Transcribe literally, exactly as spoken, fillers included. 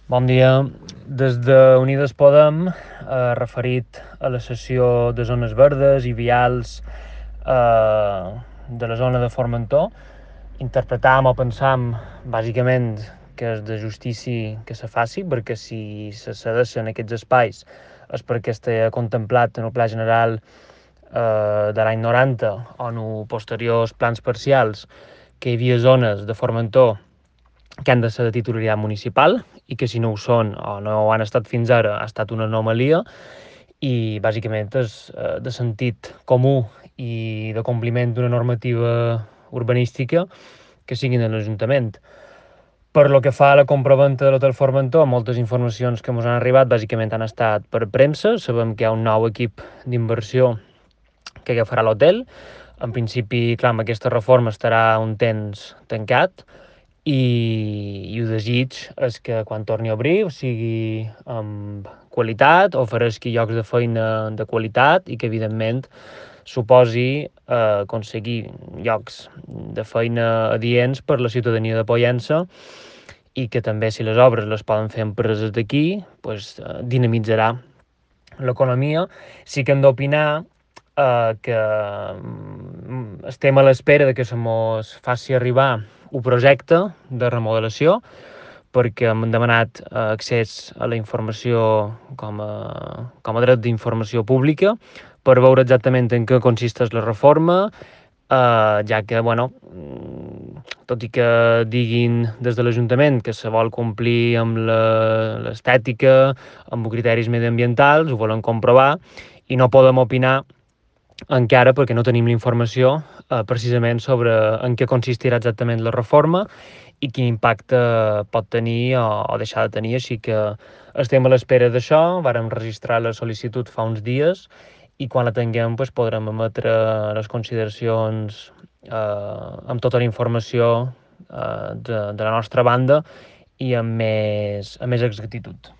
Bon dia. Des de Unides Podem, eh, referit a la cessió de zones verdes i vials eh, de la zona de Formentor, interpretàvem o pensàvem, bàsicament, que és de justícia que se faci, perquè si se cedeixen aquests espais és perquè està contemplat en el Pla General eh, de l'any noranta o en els posteriors plans parcials que hi havia zones de Formentor que han de ser de titularitat municipal i que si no ho són o no ho han estat fins ara ha estat una anomalia i bàsicament és eh, de sentit comú i de compliment d'una normativa urbanística que siguin de l'Ajuntament. Per lo que fa a la compraventa de l'Hotel Formentor, moltes informacions que ens han arribat bàsicament han estat per premsa. Sabem que hi ha un nou equip d'inversió que agafarà l'hotel. En principi, clar, amb aquesta reforma estarà un temps tancat, i, i el desig és que quan torni a obrir sigui amb qualitat, ofereixi llocs de feina de qualitat i que, evidentment, suposi eh, aconseguir llocs de feina adients per la ciutadania de Pollença i que també, si les obres les poden fer empreses d'aquí, pues, eh, dinamitzarà l'economia. Sí que hem d'opinar eh, que mm, estem a l'espera de que se mos faci arribar un projecte de remodelació perquè hem demanat eh, accés a la informació com a, com a dret d'informació pública per veure exactament en què consisteix la reforma, eh, ja que, bueno, tot i que diguin des de l'Ajuntament que se vol complir amb l'estètica, amb criteris mediambientals, ho volen comprovar, i no podem opinar encara perquè no tenim la informació eh, precisament sobre en què consistirà exactament la reforma i quin impacte pot tenir o, o deixar de tenir, així que estem a l'espera d'això. Vàrem registrar la sol·licitud fa uns dies i quan la tinguem doncs, podrem emetre les consideracions eh, amb tota la informació eh, de, de la nostra banda i amb més, amb més exactitud.